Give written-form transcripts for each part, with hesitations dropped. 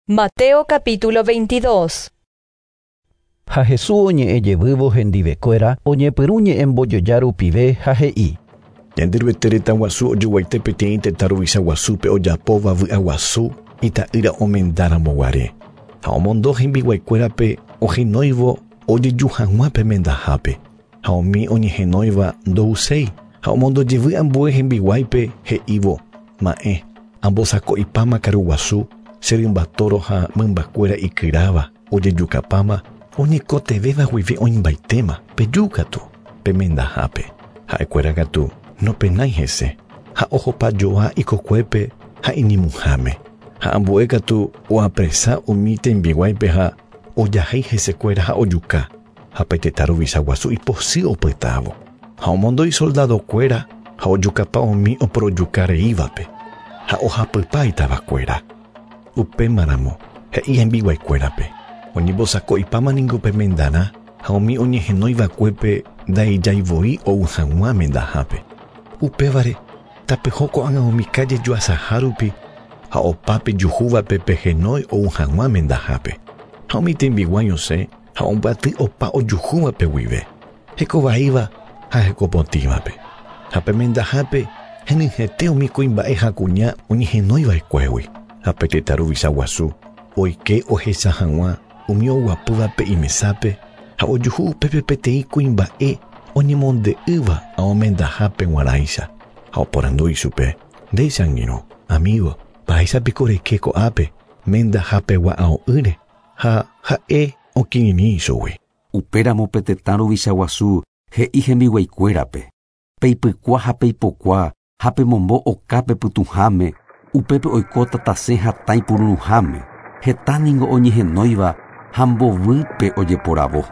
Mateo capítulo 22. Ha Jesús oñe'ẽ jevývo hendivekuéra oñepyrũ ñe'ẽmbojoja rupive ha he'i. Ñanderuete retã guasu ojoguaite peteĩ tetã ruvicha guasúpe ojapóva vy'aguasu ita'ýra omendáramo guare. Ha omondo hembiguaikuérape ohenóivo ojeju hag̃ua pe mendahápe. Ha umi oñehenóiva ndouséi ha omondo jevy ambue hembiguáipe he'ívo ma'ẽ ambosako'ipáma karuguasu che rymbatoro ha mymbakuéra ikyráva ojejukapáma oñekotevẽva guive oĩmbaitéma pejúkatu pe mendahápe. Ha'ekuéra katu nopenái hese ha ohopajoa ikokuépe ha iñemuháme. Ha ambue katu oapresa umi tembiguáipe ha ojahéi hesekuéra ha ojuka ha pe tetã ruvicha guasu ipochy opytávo. Ha omondo isoldadokuéra ha ojukapa umi oporojukareívape ha ohapypa itavakuéra. Upémaramo he'i hembiguaikuérape oñembosako'ipáma ningo pe mendarã ha umi oñehenóiva'ekuépe nda'ijaivoi ou hag̃ua mendahápe. Upévare tapeho ko'ág̃a umi calle juasaha rupi ha opa pejuhúvape pehenói ou hag̃ua mendahápe. Ha umi tembiguái osẽ ha ombyaty opa ojuhúvape guive, hekovaíva ha hekopotĩvape. Ha pe mendahápe henyhẽte umi kuimba'e ha kuña oñehenóiva'ekuégui. Ha pe tetã ruvicha guasu oike ohecha hag̃ua umi oguapývape imesápe ha ojuhu upépe peteĩ kuimba'e oñemonde'ỹva omendahápe g̃uarãicha. Ha oporandu ichupe: Nde che angirũ, amigo, mba'éichapiko reike ko'ápe mendahapegua ao'ỹre ha ha'e okirirĩ ichugui. Upéramo pe tetã ruvicha guasu he'i hembiguaikuérape. Peipykua ha peipokua ha pemombo okápe pytũháme upépe oikóta tasẽ ha tãi pururuháme. Heta ningo oñehenóiva ha mbovýpe ojeporavo.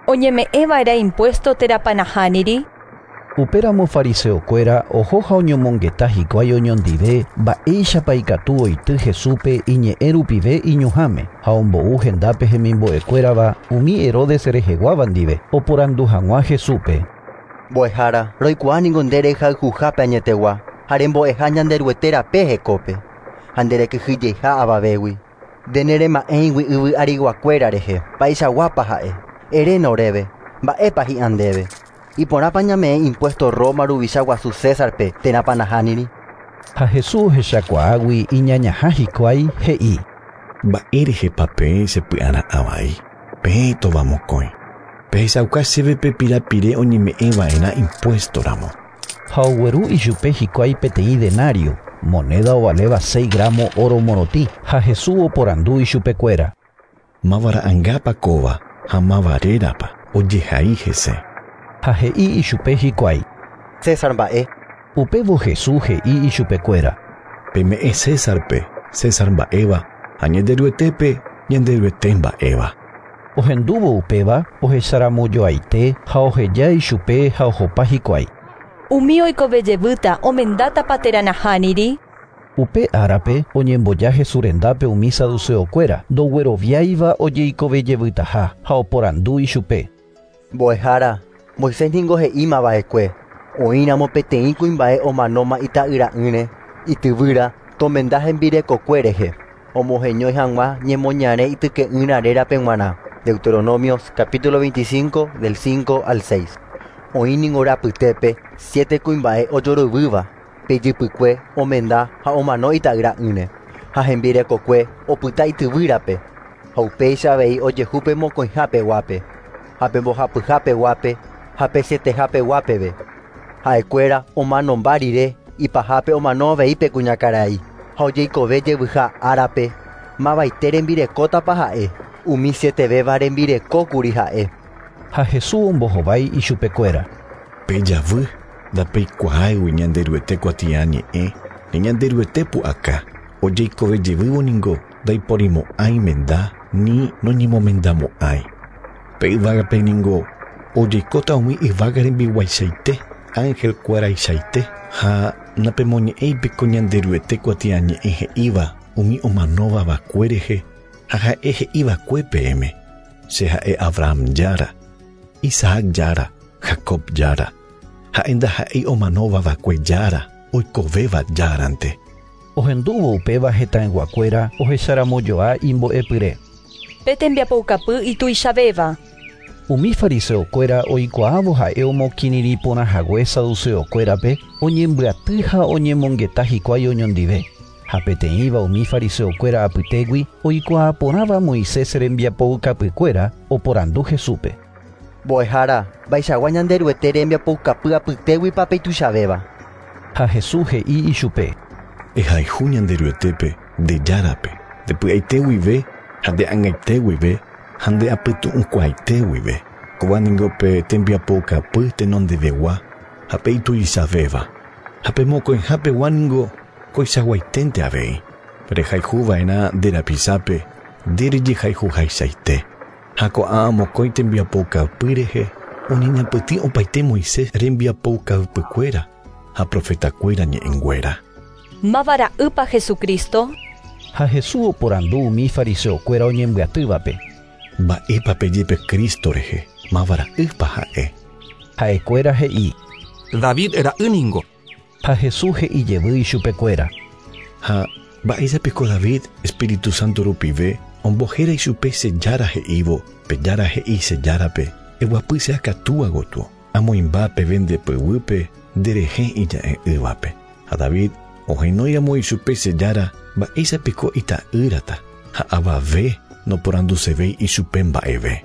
Oñeme'ẽva'erã impuesto térãpa nahániri. Upéramo fariseokuéra oho ha oñomongeta hikuái oñondive mba'éichapa ikatu oity Jesúspe iñe'ẽ rupive iñuhãme ha ombou hendápe hemimbo'ekuérava umi Herodes reheguáva ndive oporandu hag̃ua Jesúspe. Mbo'ehára, roikuaa ningo nde rehayhuhápe añetegua ha rembo'eha Ñanderuete rape hekópe ha nderekyhyjeha avavégui. Nde nerema'ẽigui yvy ariguakuéra rehe mba'eichaguápa ha'e. Eréna oréve, mba'épa hi'ã ndéve. Iporãpa ñame'ẽ impuesto Roma ruvicha guasu Césarpe térãpa nahániri. Ha Jesús ohechakuaágui iñañaha hikuái he'i. Mba'érehepa peẽ chepy'ara'ãvai. Peẽ tovamokõi. Pehechauka chéve pe pirapire oñeme'ẽva'erã impuestoramo. Ha ogueru ichupe hikuái peteĩ denario, moneda ovaléva 6 gramo oro morotĩ, ha Jesús oporandu ichupekuéra. Máva ra'ãngápa kóva ha máva rérapa ojehai hese. Ha he'i ichupe hikuái. César mba'e. Upévo Jesús he'i ichupekuéra. Peme'ẽ Césarpe, César mba'éva, ha Ñanderuetépe, Ñanderuete mba'éva. Ohendúvo upéva ohecharamojoaite ha oheja ichupe ha ohopa hikuái. Umi oikovejevýta omendátapa térã nahániri. Upe árape oñemboja Jesús rendápe umi saduceokuéra ndogueroviáiva ojeikovejevytaha ha oporandu ichupe. Mbo'ehára, Moisés ningo he'ímava'ekue oĩramo peteĩ kuimba'e omanóma ita'yra'ỹre ityvýra tomenda hembirekokue rehe omoheñói hag̃ua ñemoñare ityke'ỹra rérape g̃uarã. Deuteronomios capítulo 25 del 5 al 6. Oĩ ningo rapytépe 7 kuimba'e ojoroyvýva pe ijypykue omenda ha omano ita'yra'ỹre ha hembirekokue opyta ityvýrape ha upéicha avei ojehu pe mokõihapeguápe ha pe mbohapyhapeguápe ha pe sietehapeguápeve. Ha'ekuéra omanomba rire ipahápe omano avei pe kuñakarai ha ojeikove jevyha árape mavaite rembirekótapa ha'e umi sietevéva rembirekókuri ha'e. Ha Jesús ombohovái ichupekuéra. Pejavy ndapeikuaáigui Ñanderuete kuatiañe'ẽ ni Ñanderuete pu'aka ojeikovejevývo ningo ndaiporimo'ãi menda ni noñemomendamo'ãi. Pe yvágape ningo ojeikóta umi yvága rembiguaichaite angelkuéraichaite ha napemoñe'ẽipiko Ñanderuete kuatiañe'ẽ he'íva umi omanóva vakue rehe ha ha'e he'iva'ekue peẽme. Che ha'e Abraham jára, Isaac jára, Jacob jára. Ha'e ndaha'éi omanóva vakue jára, oikovéva járante. Ohendúvo upéva hetãyguakuéra ohecharamojoa imbo'epyre. Pe tembiapoukapy ituichavéva. Umi fariseokuéra oikuaávo ha'e omokirirĩ porãhague saduceokuérape oñembyaty ha oñemongeta hikuái oñondive. Ha peteĩva umi fariseokuéra apytégui oikuaa porãva Moisés rembiapoukapykuéra oporandu Jesúspe. Mbo'ehára, mba'eichagua Ñanderuete rembiapoukapy apytéguipa pe ituichavéva. Ha Jesús he'i ichupe. Ehayhu Ñanderuetépe nde Járape, nde py'aite guive ha nde ag̃aite guive ha nde apytu'ũkuaaite guive. Kóva ningo pe tembiapoukapy tenondevegua ha pe ituichavéva. Ha pe mokõihapegua ningo koichaguaiténte avei. Rehayhuva'erã nde rapichápe nde rejehayhuhaichaite. Ha ko'ã mokõi tembiapoukapy rehe oñeñapytĩ opaite Moisés rembiapoukapykuéra ha profetakuéra ñe'ẽnguéra. Máva ra'ýpa Jesucristo? Ha Jesús oporandu umi fariseokuéra oñembyatývape. Mba'épa peje pe Cristo rehe, máva ra'ýpa ha'e. Ha'ekuéra he'i. David ra'y ningo. Ha Jesús he'i jevy ichupekuéra. Ha mba'éichapiko David Espíritu Santo rupive ombohéra ichupe che Jára he'ívo, pe Jára he'i che Járape, eguapy che akatúa gotyo, amoĩmba peve nde pyguýpe nderehe ija'e'ỹvape. Ha David ohenóiramo ichupe che Jára, mba'éichapiko ita'ýrata, ha avave noporandusevéi ichupe mba'eve.